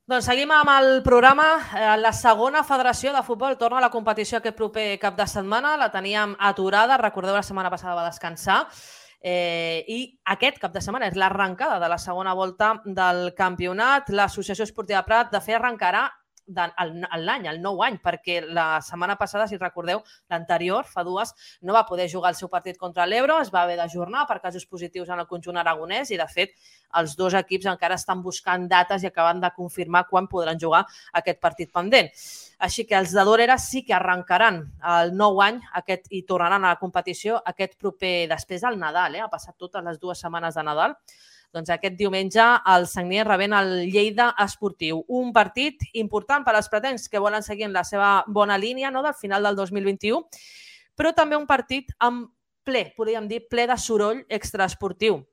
Doncs seguim amb el programa. La segona federació de futbol torna a la competició aquest proper cap de setmana. La teníem aturada, recordeu, la setmana passada va descansar. I aquest cap de setmana és l'arrencada de la segona volta del campionat. L'Associació Esportiva Prat, de fet, arrencarà l'any, el nou any, perquè la setmana passada, si recordeu, l'anterior, fa dues, no va poder jugar el seu partit contra l'Ebro, es va haver d'ajornar per casos positius en el conjunt aragonès i, de fet, els dos equips encara estan buscant dates i acaben de confirmar quan podran jugar aquest partit pendent. Així que els de Dorera sí que arrencaran el nou any i tornaran a la competició aquest proper, després del Nadal, ha passat totes les 2 setmanes de Nadal. Doncs aquest diumenge el Sagnier rebent el Lleida Esportiu. Un partit important per als pretens que volen seguir en la seva bona línia del final del 2021, però també un partit amb ple, podríem dir, ple de soroll extraesportiu.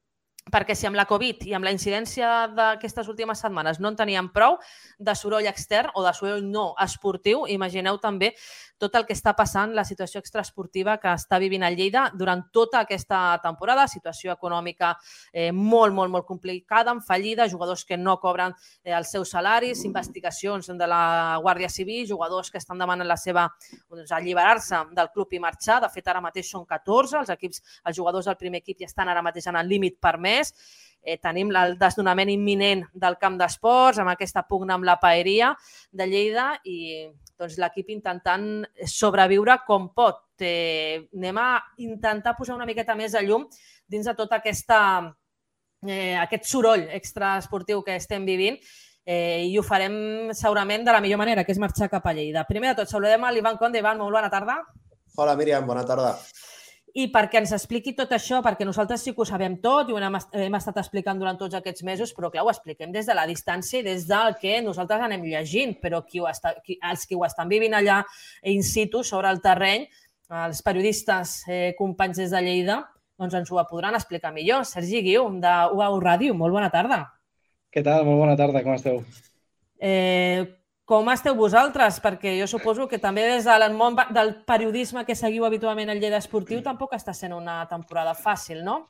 Perquè si amb la Covid i amb la incidència d'aquestes últimes setmanes no en teníem prou de soroll extern o de soroll no esportiu, imagineu també tot el que està passant, la situació extraesportiva que està vivint el Lleida durant tota aquesta temporada, situació econòmica molt complicada, amb fallida, jugadors que no cobren els seus salaris, investigacions de la Guàrdia Civil, jugadors que estan demanant la seva alliberar-se del club i marxar. De fet, ara mateix són 14, els jugadors del primer equip ja estan ara mateix en el límit permès. Tenim el desnonament imminent del camp d'esports, amb aquesta pugna amb la paeria de Lleida i l'equip intentant sobreviure com pot. Anem a intentar posar una miqueta més de llum dins de tot aquest soroll extraesportiu que estem vivint i ho farem segurament de la millor manera, que és marxar cap a Lleida. Primer de tot, saludem a l'Ivan Conde. Ivan, molt bona tarda. Hola, Míriam, bona tarda. I perquè ens expliqui tot això, perquè nosaltres sí que ho sabem tot i ho hem estat explicant durant tots aquests mesos, però clar, ho expliquem des de la distància i des del que nosaltres anem llegint, però els que ho estan vivint allà in situ, sobre el terreny, els periodistes, companys des de Lleida, doncs ens ho podran explicar millor. Sergi Guiu, de UAU Ràdio, molt bona tarda. Què tal? Molt bona tarda, com esteu? Com esteu vosaltres? Perquè jo suposo que també des del món del periodisme que seguiu habitualment el Lleida Esportiu tampoc està sent una temporada fàcil, no?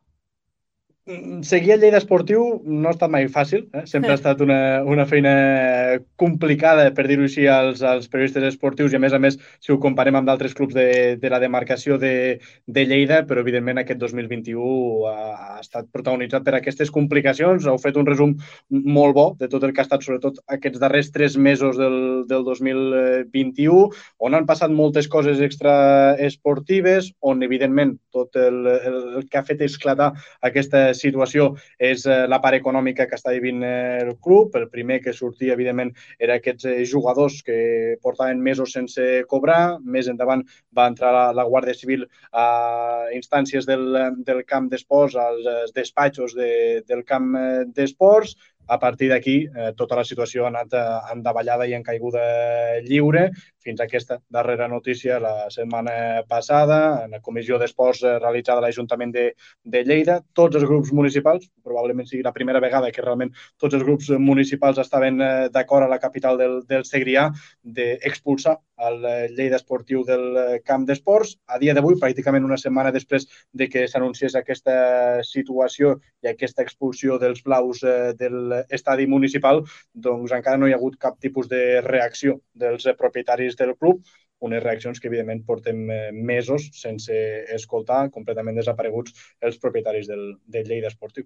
Seguir el Lleida Esportiu no ha estat mai fàcil. Sempre ha estat una feina complicada, per dir-ho així, als periodistes esportius i, a més, si ho comparem amb d'altres clubs de la demarcació de Lleida, però, evidentment, aquest 2021 ha estat protagonitzat per aquestes complicacions. Heu fet un resum molt bo de tot el que ha estat, sobretot, aquests darrers 3 mesos del 2021, on han passat moltes coses extraesportives, on, evidentment, tot el que ha fet esclatar aquesta situació és la part econòmica que està vivint el club. El primer que sortia, evidentment, era aquests jugadors que portaven mesos sense cobrar. Més endavant va entrar la Guàrdia Civil a instàncies del camp d'esports, als despatxos del camp d'esports. A partir d'aquí, tota la situació ha anat en davallada i en caiguda lliure, fins a aquesta darrera notícia la setmana passada, en la comissió d'esports realitzada a l'Ajuntament de Lleida. Tots els grups municipals, probablement sigui la primera vegada que realment tots els grups municipals estaven d'acord a la capital del Segrià d'expulsar el Lleida Esportiu del camp d'esports. A dia d'avui, pràcticament una setmana després de que s'anunciés aquesta situació i aquesta expulsió dels blaus de l'estadi municipal, doncs encara no hi ha hagut cap tipus de reacció dels propietaris del club, unes reaccions que, evidentment, portem mesos sense escoltar, completament desapareguts els propietaris del Lleida Esportiu.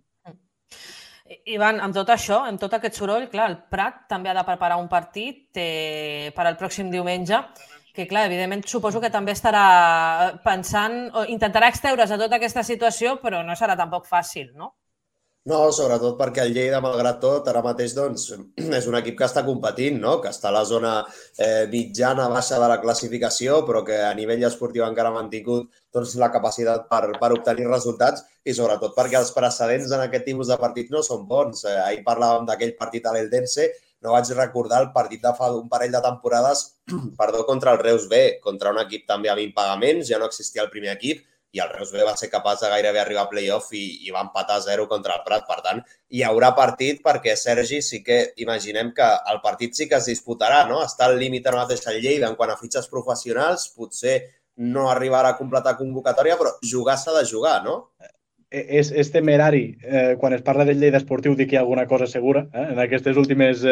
Ivan, amb tot això, amb tot aquest soroll, clar, el Prat també ha de preparar un partit per al pròxim diumenge, que, clar, evidentment, suposo que també estarà pensant, o intentarà extreure's de tota aquesta situació, però no serà tampoc fàcil, no? No, sobretot perquè el Lleida, malgrat tot, ara mateix és un equip que està competint, que està a la zona mitjana, baixa de la classificació, però que a nivell esportiu encara ha mantingut la capacitat per obtenir resultats i sobretot perquè els precedents en aquest tipus de partit no són bons. Ahir parlàvem d'aquell partit a l'Eldense, no vaig recordar el partit de fa un parell de temporades contra el Reus B, contra un equip també amb impagaments, ja no existia el primer equip, i el Reus B va ser capaç de gairebé arribar a play-off i va empatar 0 contra el Prat. Per tant, hi haurà partit perquè, Sergi, sí que imaginem que el partit sí que es disputarà, no? Està al límit ara mateix el Lleida en quant a fitxes professionals, potser no arribarà a completar convocatòria, però jugar s'ha de jugar, no? és temerari quan es parla del Lleida Esportiu dir que hi ha alguna cosa segura en aquestes últimes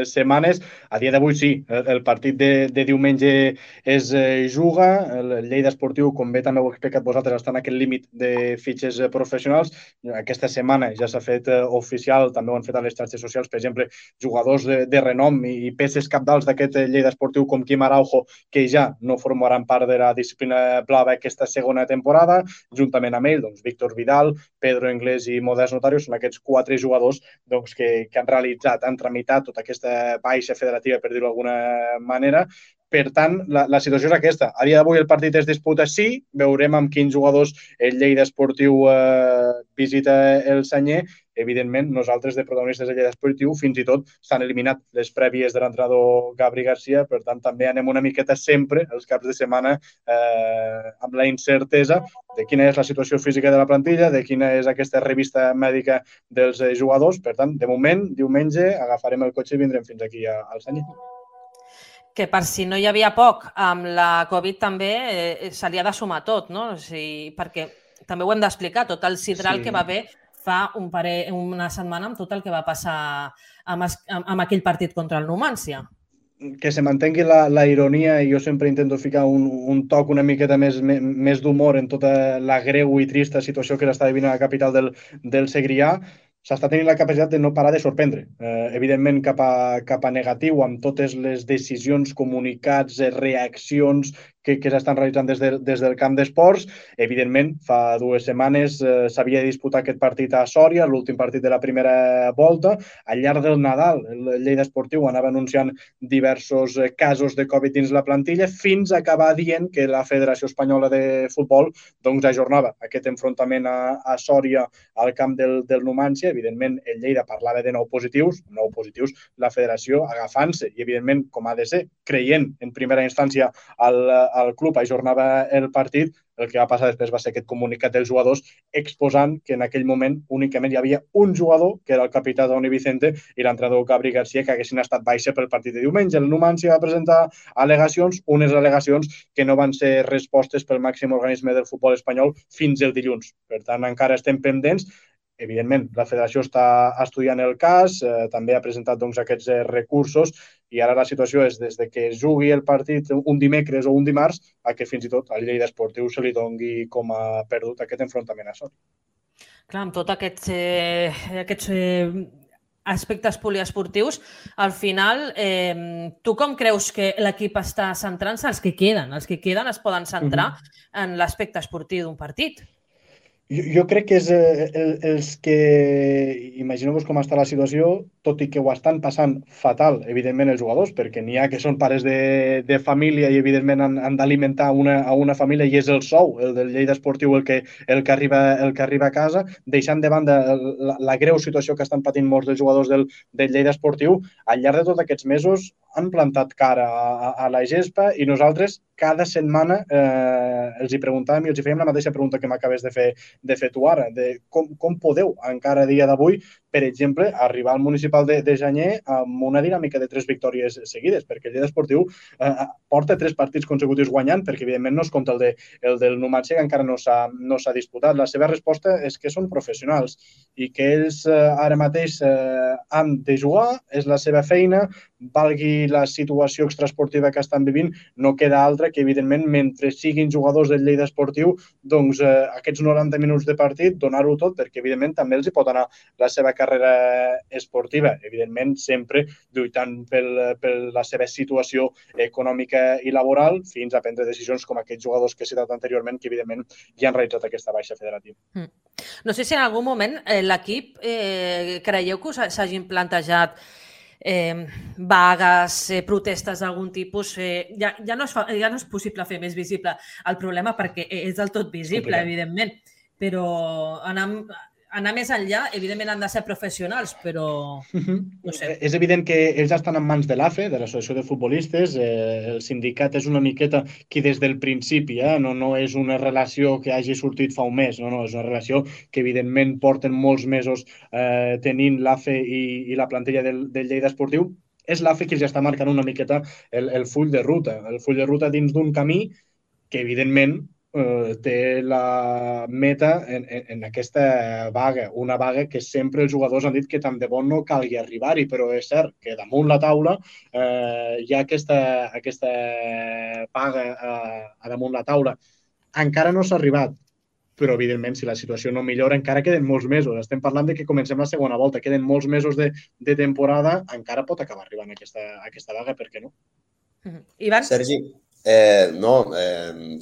setmanes. A dia d'avui sí, el partit de diumenge es juga, el Lleida Esportiu, com bé també heu explicat vosaltres, està en aquest límit de fitxes professionals. Aquesta setmana ja s'ha fet oficial, també ho han fet a les xarxes socials, per exemple, jugadors de renom i peces capdals d'aquest Lleida Esportiu com Quim Araujo, que ja no formaran part de la disciplina blava aquesta segona temporada, juntament amb ell, doncs, Víctor Vidal, Pedro Inglés i Modest Notario són aquests 4 jugadors doncs, que han realitzat, han tramitat tota aquesta baixa federativa, per dir-ho d'alguna manera. Per tant, la situació és aquesta. A dia d'avui el partit es disputa sí, veurem amb quins jugadors el Lleida Esportiu visita el Sanyer. Evidentment, nosaltres de protagonistes de Lleida Esportiu fins i tot s'han eliminat les prèvies de l'entrenador Gabri Garcia, per tant també anem una miqueta sempre els caps de setmana amb la incertesa de quina és la situació física de la plantilla, de quina és aquesta revista mèdica dels jugadors. Per tant, de moment, diumenge, agafarem el cotxe i vindrem fins aquí al Sanyer. Que per si no hi havia poc, amb la Covid també se li ha de sumar tot, no? O sigui, perquè també ho hem d'explicar, tot el sidral que va haver fa una setmana amb tot el que va passar amb aquell partit contra el Numancia. Que se mantengui la ironia, i jo sempre intento ficar un toc una miqueta més d'humor en tota la greu i trista situació que s'està vivint a la capital del Segrià. S'està tenint la capacitat de no parar de sorprendre. Evidentment, cap a negatiu, amb totes les decisions, comunicats, reaccions que s'estan realitzant des del camp d'esports. Evidentment, fa 2 setmanes s'havia de disputar aquest partit a Sòria, l'últim partit de la primera volta. Al llarg del Nadal, el Lleida Esportiu anava anunciant diversos casos de Covid dins la plantilla, fins a acabar dient que la Federació Espanyola de Futbol doncs, ajornava aquest enfrontament a Sòria al camp del Numancia. Evidentment, el Lleida parlava de 9 positius, la federació agafant-se, i evidentment, com ha de ser, creient en primera instància al club ajornava el partit. El que va passar després va ser aquest comunicat dels jugadors exposant que en aquell moment únicament hi havia un jugador, que era el capità Doni Vicente, i l'entrenador Gabri Garcia, que haguessin estat baixa pel partit de diumenge. El Numancia va presentar al·legacions, unes al·legacions que no van ser respostes pel màxim organisme del futbol espanyol fins el dilluns. Per tant, encara estem pendents. Evidentment, la federació està estudiant el cas, també ha presentat doncs, aquests recursos, i ara la situació és des de que es jugui el partit un dimecres o un dimarts a que fins i tot al Lleida Esportiu se li doni com a perdut aquest enfrontament a Sòria. Clar, amb tots aquests aspectes poliesportius, al final, tu com creus que l'equip està centrant-se? Els que queden es poden centrar en l'aspecte esportiu d'un partit? Jo crec que és els que, imagineu-vos com està la situació, tot i que ho estan passant fatal, evidentment, els jugadors, perquè n'hi ha que són pares de família i, evidentment, han d'alimentar una família, i és el sou, el del Lleida Esportiu, el que arriba a casa, deixant de banda la greu situació que estan patint molts dels jugadors del Lleida Esportiu. Al llarg de tots aquests mesos han plantat cara a la gespa, i nosaltres cada setmana els hi preguntàvem i els hi fèiem la mateixa pregunta que m'acabes de fer tu ara, de com podeu encara a dia d'avui, per exemple, arribar al municipal de Janyer amb una dinàmica de 3 victòries seguides, perquè el Lleida Esportiu porta 3 partits consecutius guanyant, perquè evidentment no es compta el del Numancia, que encara no s'ha disputat. La seva resposta és que són professionals i que ells ara mateix han de jugar, és la seva feina, valgui la situació extraesportiva que estan vivint, no queda altra que, evidentment, mentre siguin jugadors del Lleida Esportiu, doncs aquests 90 minuts de partit, donar-ho tot, perquè, evidentment, també els hi pot anar la seva carrera esportiva, evidentment, sempre lluitant per la seva situació econòmica i laboral, fins a prendre decisions com aquests jugadors que he citat anteriorment, que, evidentment, ja han realitzat aquesta baixa federativa. No sé si en algun moment l'equip creieu que s'hagin plantejat vagues, protestes d'algun tipus. Ja no és possible fer més visible el problema, perquè és del tot visible, evidentment, però anar més enllà, evidentment han de ser professionals, però no sé. És evident que ells estan en mans de l'AFE, de l'Associació de Futbolistes. El sindicat és una miqueta qui des del principi, no és una relació que hagi sortit fa un mes, no, és una relació que evidentment porten molts mesos tenint l'AFE i la plantilla del Lleida Esportiu. És l'AFE qui ja està marcant una miqueta el full de ruta dins d'un camí que evidentment té la meta en aquesta vaga, una vaga que sempre els jugadors han dit que tant de bon no calgui arribar-hi, però és cert que damunt la taula hi ha aquesta vaga a damunt la taula. Encara no s'ha arribat, però evidentment si la situació no millora encara queden molts mesos. Estem parlant de que comencem la segona volta, queden molts mesos de temporada, encara pot acabar arribant aquesta vaga, per què no? Ivan? Sergi, no,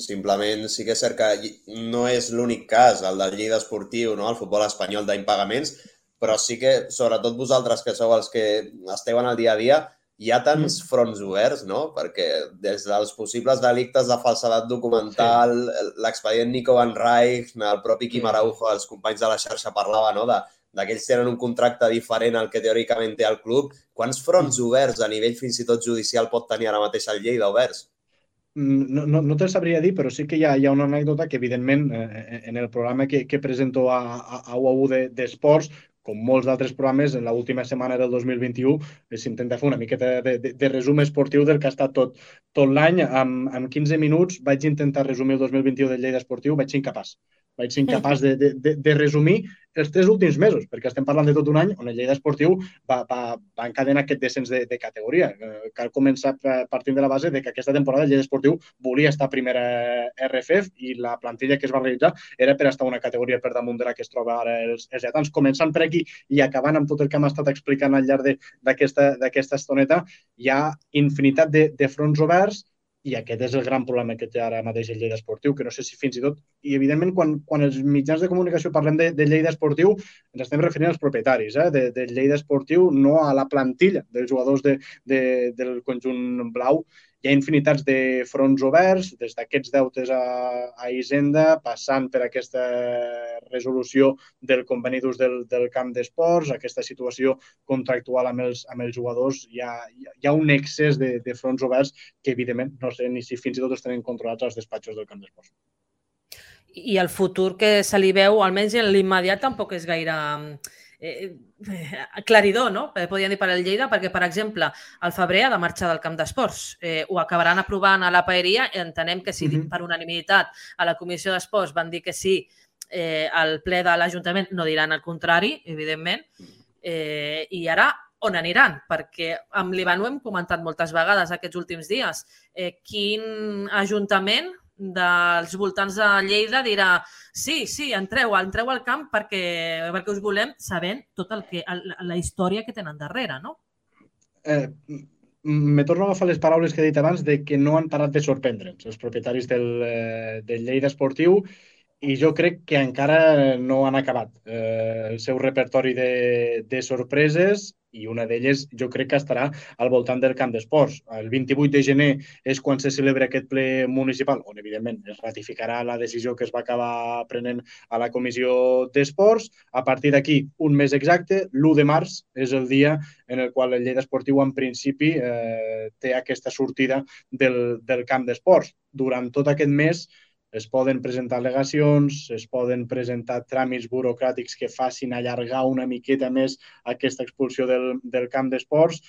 simplement sí que és cert que no és l'únic cas, el del Lleida Esportiu, no? El futbol espanyol d'impagaments, però sí que, sobretot vosaltres que sou els que esteu en el dia a dia, hi ha tants fronts oberts, no? Perquè des dels possibles delictes de falsedat documental, l'expedient Nico Van Rijk, el propi Quim Araujo, els companys de la xarxa parlava, no?, de que ells tenen un contracte diferent al que teòricament té el club. Quants fronts oberts a nivell fins i tot judicial pot tenir ara mateix el Lleida oberts? No te'l sabria dir, però sí que hi ha una anècdota que, evidentment, en el programa que presento a UAU d'Esports, com molts d'altres programes, en l'última setmana del 2021 s'intenta fer una miqueta de resum esportiu del que ha estat tot l'any. En 15 minuts vaig intentar resumir el 2021 del Lleida Esportiu, vaig ser incapaç. Vaig ser incapaç de resumir els 3 últims mesos, perquè estem parlant de tot un any on el Lleida Esportiu va encadenar aquest descens de categoria. Cal començar partint de la base de que aquesta temporada el Lleida Esportiu volia estar a primera RFF i la plantilla que es va realitzar era per estar una categoria per damunt de la que es troba ara els lletans. Començant per aquí i acabant amb tot el que hem estat explicant al llarg d'aquesta estoneta, hi ha infinitat de fronts oberts. I aquest és el gran problema que té ara mateix el Lleida Esportiu, que no sé si fins i tot... I, evidentment, quan els mitjans de comunicació parlem de Lleida Esportiu, ens estem referint als propietaris del Lleida Esportiu, no a la plantilla dels jugadors del conjunt blau. Hi ha infinitats de fronts oberts, des d'aquests deutes a Hisenda, passant per aquesta resolució del conveni d'ús del camp d'esports, aquesta situació contractual amb els jugadors. Hi ha un excés de fronts oberts que, evidentment, no sé ni si fins i tot els tenen controlats als despatxos del camp d'esports. I el futur que se li veu, almenys en l'immediat, tampoc és gaire aclaridor, no? Podríem dir per al Lleida, perquè, per exemple, el febrer ha de marxar del camp d'esports. Ho acabaran aprovant a la paeria. Entenem que si per unanimitat a la comissió d'esports van dir que sí, al ple de l'Ajuntament no diran el contrari, evidentment. I ara on aniran? Perquè amb l'Ivan ho hem comentat moltes vegades aquests últims dies. Quin ajuntament dels voltants de Lleida dirà sí, entreu al camp perquè us volem, sabent tota la història que tenen darrere, no? Me torno a agafar les paraules que he dit abans de que no han parat de sorprendre'ns els propietaris del Lleida Esportiu i jo crec que encara no han acabat el seu repertori de sorpreses i una d'elles jo crec que estarà al voltant del camp d'esports. El 28 de gener és quan se celebra aquest ple municipal, on evidentment es ratificarà la decisió que es va acabar prenent a la comissió d'esports. A partir d'aquí, un mes exacte, l'1 de març és el dia en el qual el Lleida Esportiu en principi té aquesta sortida del camp d'esports. Durant tot aquest mes es poden presentar al·legacions, es poden presentar tràmits burocràtics que facin allargar una miqueta més aquesta expulsió del camp d'esports.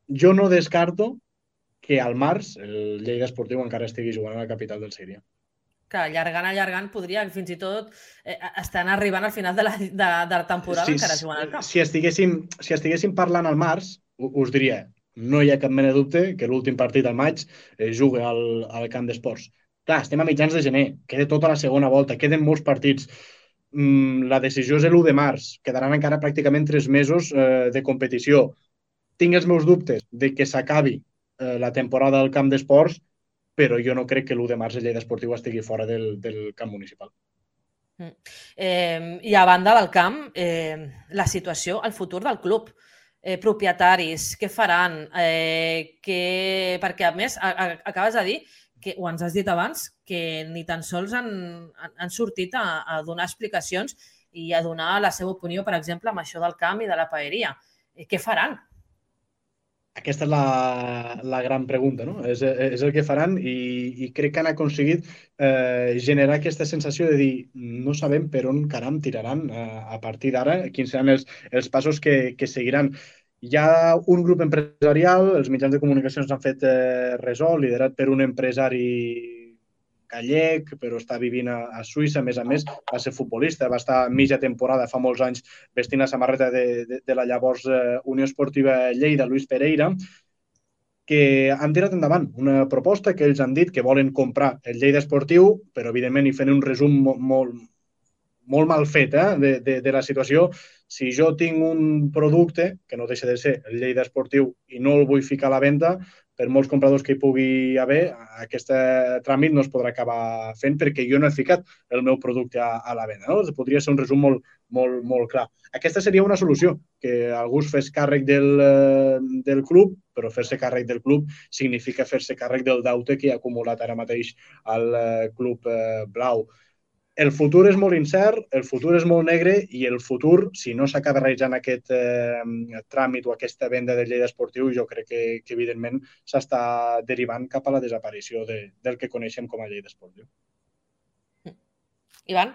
Jo no descarto que al març el Lleida Esportiu encara estigui jugant a la capital del Síria. Que allargant podria fins i tot estan arribant al final de la temporada encara jugant al camp. Si estiguéssim parlant al març, us diria, no hi ha cap mena de dubte que l'últim partit al maig jugui al camp d'esports. Clar, estem a mitjans de gener, queda tota la segona volta, queden molts partits. La decisió és l'1 de març, quedaran encara pràcticament 3 mesos de competició. Tinc els meus dubtes de que s'acabi la temporada del camp d'esports, però jo no crec que l'1 de març el Lleida Esportiu estigui fora del camp municipal. I a banda del camp, la situació, el futur del club, propietaris, què faran? Perquè, a més, acabes de dir que, o ens has dit abans, que ni tan sols han sortit a donar explicacions i a donar la seva opinió, per exemple, amb això del camp i de la paeria. Què faran? Aquesta és la gran pregunta, no? És el que faran i crec que han aconseguit generar aquesta sensació de dir no sabem per on caram tiraran a partir d'ara, quins seran els passos que seguiran. Hi ha un grup empresarial, els mitjans de comunicació ens han fet ressò, liderat per un empresari gallec, però està vivint a Suïssa. A més, va ser futbolista, va estar mitja temporada, fa molts anys, vestint la samarreta de la llavors Unió Esportiva Lleida, Luis Pereira, que han tirat endavant una proposta que ells han dit que volen comprar el Lleida Esportiu, però evidentment hi fent un resum molt mal fet de la situació. Si jo tinc un producte, que no deixa de ser el Lleida Esportiu, i no el vull ficar a la venda, per molts compradors que hi pugui haver, aquest tràmit no es podrà acabar fent perquè jo no he ficat el meu producte a la venda. No? Podria ser un resum molt clar. Aquesta seria una solució, que algú es fes càrrec del club, però fer-se càrrec del club significa fer-se càrrec del deute que ha acumulat ara mateix el club blau. El futur és molt incert, el futur és molt negre i el futur, si no s'acaba realitzant aquest tràmit o aquesta venda del Lleida Esportiu, jo crec que evidentment s'està derivant cap a la desaparició del que coneixem com a Lleida Esportiu. Ivan?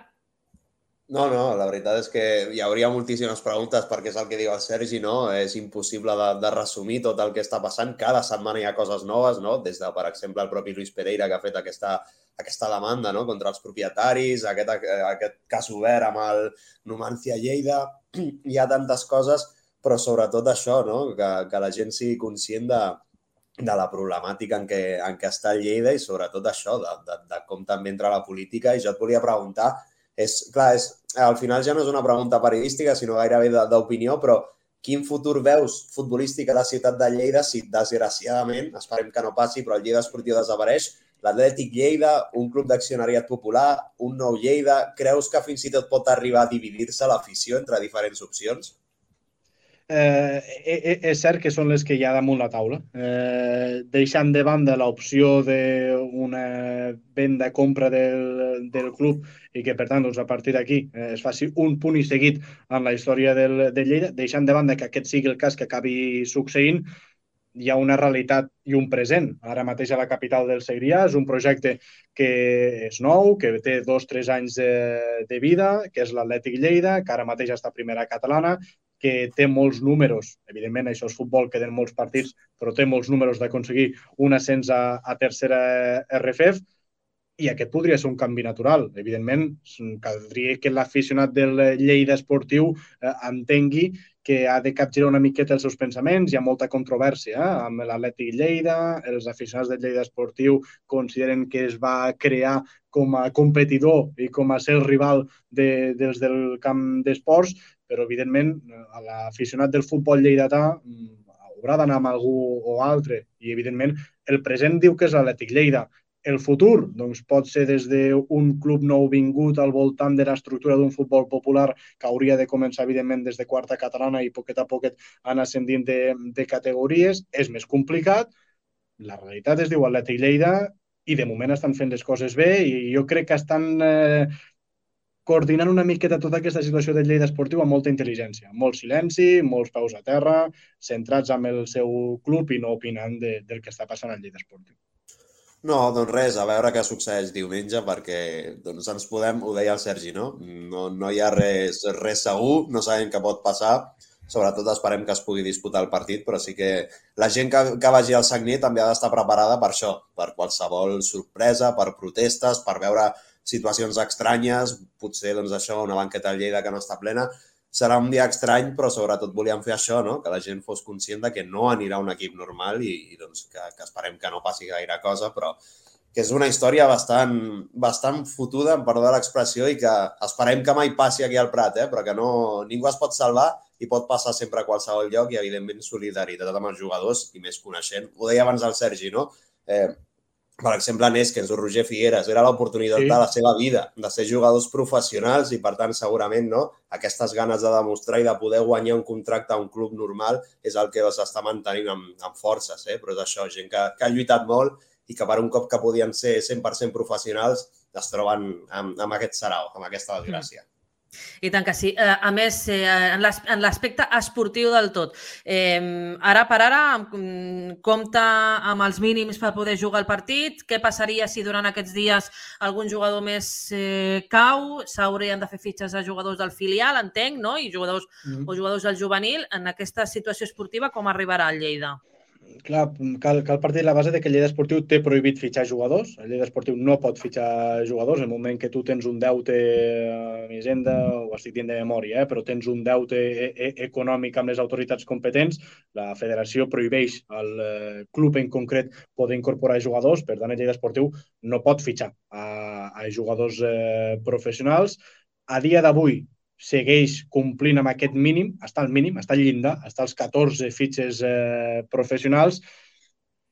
No, la veritat és que hi hauria moltíssimes preguntes perquè és el que diu el Sergi, no? És impossible de resumir tot el que està passant. Cada setmana hi ha coses noves, no? Des de, per exemple, el propi Luis Pereira, que ha fet aquesta demanda, no? Contra els propietaris, aquest cas obert amb el Numancia Lleida. Hi ha tantes coses, però sobretot això, no? Que la gent sigui conscient de la problemàtica en què està el Lleida i sobretot això, de com també entra la política. I jo et volia preguntar, al final ja no és una pregunta periodística, sinó gairebé d'opinió, però quin futur veus futbolístic a la ciutat de Lleida si, desgraciadament, esperem que no passi, però el Lleida Esportiu desapareix, l'Atlètic Lleida, un club d'accionariat popular, un nou Lleida, creus que fins i tot pot arribar a dividir-se l'afició entre diferents opcions? És cert que són les que hi ha damunt la taula. Deixant de banda l'opció d'una venda-compra del club i que, per tant, a partir d'aquí es faci un punt i seguit en la història del Lleida, deixant de banda que aquest sigui el cas que acabi succeint, hi ha una realitat i un present. Ara mateix a la capital del Segrià és un projecte que és nou, que té 2 o 3 anys de vida, que és l'Atlètic Lleida, que ara mateix està a primera catalana, que té molts números, evidentment això és futbol, queden molts partits, però té molts números d'aconseguir un ascens a tercera RFEF, i aquest podria ser un canvi natural. Evidentment, caldria que l'aficionat del Lleida Esportiu entengui que ha de capgirar una miqueta els seus pensaments. Hi ha molta controvèrsia amb l'Atlètic Lleida, els aficionats del Lleida Esportiu consideren que es va crear com a competidor i com a ser el rival dels del camp d'esports, però evidentment l'aficionat del futbol lleidatà haurà d'anar amb algú o altre i evidentment el present diu que és l'Atlètic Lleida. El futur doncs, pot ser des d'un club nou vingut al voltant de l'estructura d'un futbol popular que hauria de començar, evidentment, des de quarta catalana i poquet a poquet anar ascendint de categories. És més complicat. La realitat es diu Atlètic Lleida i de moment estan fent les coses bé i jo crec que estan coordinant una miqueta tota aquesta situació del Lleida Esportiu amb molta intel·ligència, molt silenci, molts peus a terra, centrats en el seu club i no opinant del que està passant al Lleida Esportiu. No, doncs res, a veure què succeeix diumenge perquè doncs ens podem, ho deia el Sergi, no? No hi ha res segur, no sabem què pot passar, sobretot esperem que es pugui disputar el partit, però sí que la gent que vagi al Sagnier també ha d'estar preparada per això, per qualsevol sorpresa, per protestes, per veure situacions estranyes, potser doncs això, una banqueta al Lleida que no està plena. Serà un dia estrany, però sobretot volíem fer això, no? Que la gent fos conscient de que no anirà un equip normal i doncs, que esperem que no passi gaire cosa, però que és una història bastant fotuda, em perdó l'expressió, i que esperem que mai passi aquí al Prat, però que ningú es pot salvar i pot passar sempre a qualsevol lloc i, evidentment, solidaritat amb els jugadors i més coneixent. Ho deia abans el Sergi, no? Per exemple, en Eskens o Roger Figueres, era l'oportunitat de la seva vida, de ser jugadors professionals i, per tant, segurament, no, aquestes ganes de demostrar i de poder guanyar un contracte a un club normal és el que s'està mantenint amb forces, però és això, gent que ha lluitat molt i que per un cop que podien ser 100% professionals es troben amb aquest sarau, amb aquesta desgràcia. I tant que sí. A més, en l'aspecte esportiu del tot, ara per ara compta amb els mínims per poder jugar el partit. Què passaria si durant aquests dies algun jugador més cau? S'haurien de fer fitxes a jugadors del filial, entenc, no? I jugadors del juvenil. En aquesta situació esportiva, com arribarà el Lleida? Clar, cal partir de la base de que el Lleida Esportiu té prohibit fitxar jugadors. El Lleida Esportiu no pot fitxar jugadors. En el moment que tu tens un deute a Hisenda, ho estic dient de memòria, però tens un deute econòmic amb les autoritats competents, la federació prohibeix al club en concret poder incorporar jugadors. Per tant, el Lleida Esportiu no pot fitxar a jugadors professionals. A dia d'avui, segueix complint amb aquest mínim, està al mínim, està al llindar, està als 14 fitxes professionals.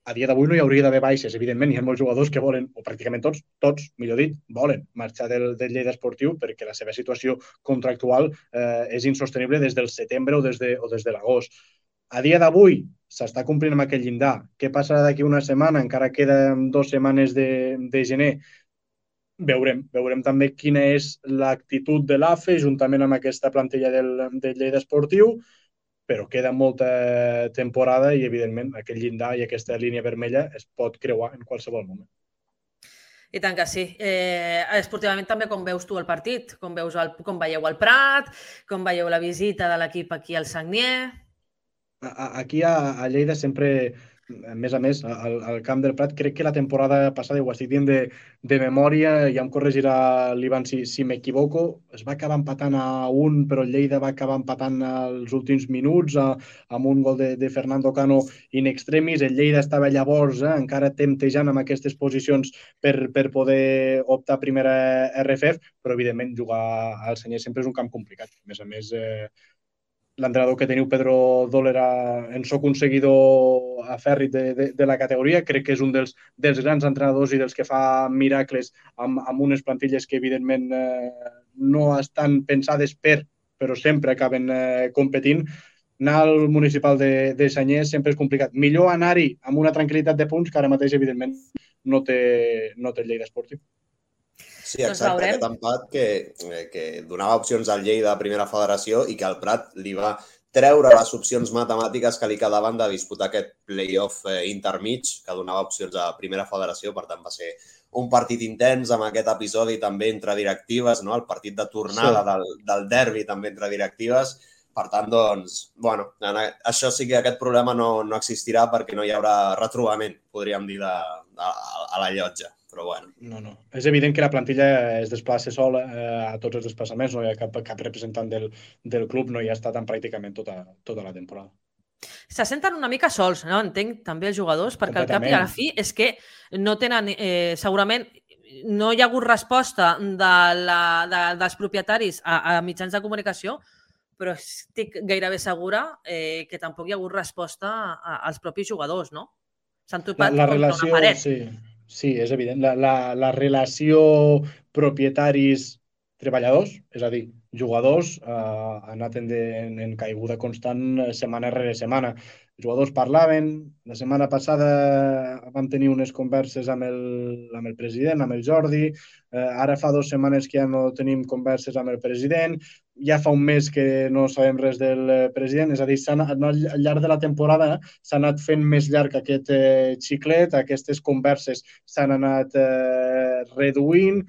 A dia d'avui no hi hauria d'haver baixes, evidentment. Hi ha molts jugadors que volen, o pràcticament tots, millor dit, volen marxar del Lleida Esportiu perquè la seva situació contractual és insostenible des del setembre o des de l'agost. A dia d'avui s'està complint amb aquest llindar. Què passarà d'aquí una setmana? Encara queden 2 setmanes de gener. Veurem també quina és l'actitud de l'AFE juntament amb aquesta plantilla del Lleida Esportiu, però queda molta temporada i, evidentment, aquest llindar i aquesta línia vermella es pot creuar en qualsevol moment. I tant que sí. Esportivament també com veus tu el partit? Com veieu el Prat? Com veieu la visita de l'equip aquí al Sagnier? Aquí a Lleida sempre, a més, al camp del Prat, crec que la temporada passada, ho estic dient de memòria, ja em corregirà l'Ivan si m'equivoco, es va acabar empatant a 1, però el Lleida va acabar empatant als últims minuts amb un gol de Fernando Cano in extremis. El Lleida estava llavors encara temptejant amb aquestes posicions per poder optar a primera RFF, però evidentment jugar al Sagnier sempre és un camp complicat. A més, l'entrenador que teniu, Pedro Dólera, en soc un seguidor afèrrit de la categoria. Crec que és un dels grans entrenadors i dels que fa miracles amb unes plantilles que, evidentment, no estan pensades però sempre acaben competint. Anar al municipal de Sagnier sempre és complicat. Millor anar-hi amb una tranquil·litat de punts que ara mateix, evidentment, no té el Lleida Esportiu. Sí, exacte, aquest empat que donava opcions al Lleida a primera federació i que al Prat li va treure les opcions matemàtiques que li quedaven de disputar aquest play-off intermig que donava opcions a primera federació. Per tant, va ser un partit intens amb aquest episodi també entre directives, no? El partit de tornada del derbi també entre directives. Per tant, doncs, bueno, això sí que aquest problema no existirà perquè no hi haurà retrobament, podríem dir, a la llotja. Però bueno. No. És evident que la plantilla es desplaça sola a tots els desplaçaments, no hi ha cap representant del club, no hi ha estat en pràcticament tota la temporada. Se senten una mica sols, no? Entenc, també els jugadors, perquè al cap i a la fi és que no tenen, segurament, no hi ha hagut resposta dels propietaris a mitjans de comunicació, però estic gairebé segura que tampoc hi ha hagut resposta als propis jugadors, no? S'han topat contra una paret. Sí, és evident. La relació propietaris-treballadors, és a dir, jugadors, ha anat en caiguda constant setmana rere setmana. Els jugadors parlaven, la setmana passada vam tenir unes converses amb el president, amb el Jordi, ara fa 2 setmanes que ja no tenim converses amb el president, ja fa un mes que no sabem res del president, és a dir, al llarg de la temporada s'ha anat fent més llarg aquest xiclet, aquestes converses s'han anat reduint.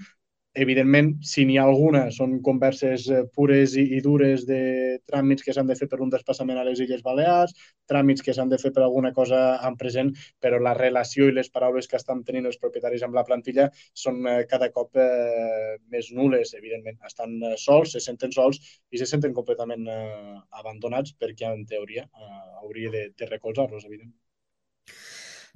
Evidentment, si n'hi ha alguna, són converses pures i dures de tràmits que s'han de fer per un desplaçament a les Illes Balears, tràmits que s'han de fer per alguna cosa en present, però la relació i les paraules que estan tenint els propietaris amb la plantilla són cada cop més nules, evidentment. Estan sols, se senten sols i se senten completament abandonats perquè, en teoria, hauria de recolzar-los, evidentment.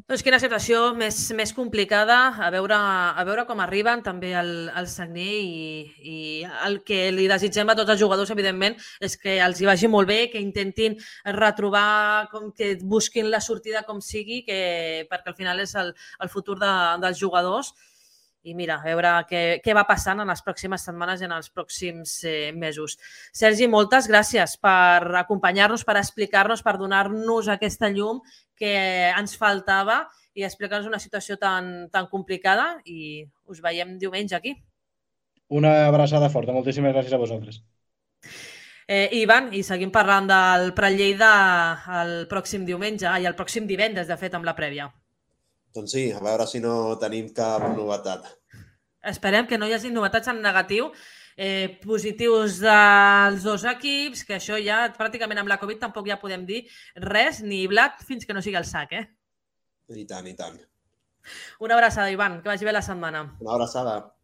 Doncs quina situació més complicada, a veure com arriben també al Sagnier i el que li desitgem a tots els jugadors, evidentment, és que els hi vagi molt bé, que intentin retrobar, que busquin la sortida com sigui, perquè al final és el futur dels jugadors. I mira, a veure què va passant en les pròximes setmanes i en els pròxims mesos. Sergi, moltes gràcies per acompanyar-nos, per explicar-nos, per donar-nos aquesta llum que ens faltava i explicar-nos una situació tan complicada i us veiem diumenge aquí. Una abraçada forta. Moltíssimes gràcies a vosaltres. Ivan, i seguim parlant del Prat Lleida el pròxim diumenge i el pròxim divendres, de fet, amb la prèvia. Doncs sí, a veure si no tenim cap novetat. Esperem que no hi hagi novetats en negatiu positius dels dos equips, que això ja pràcticament amb la Covid tampoc ja podem dir res, ni blat, fins que no sigui el sac, I tant, i tant. Una abraçada, Ivan, que vagi bé la setmana. Una abraçada.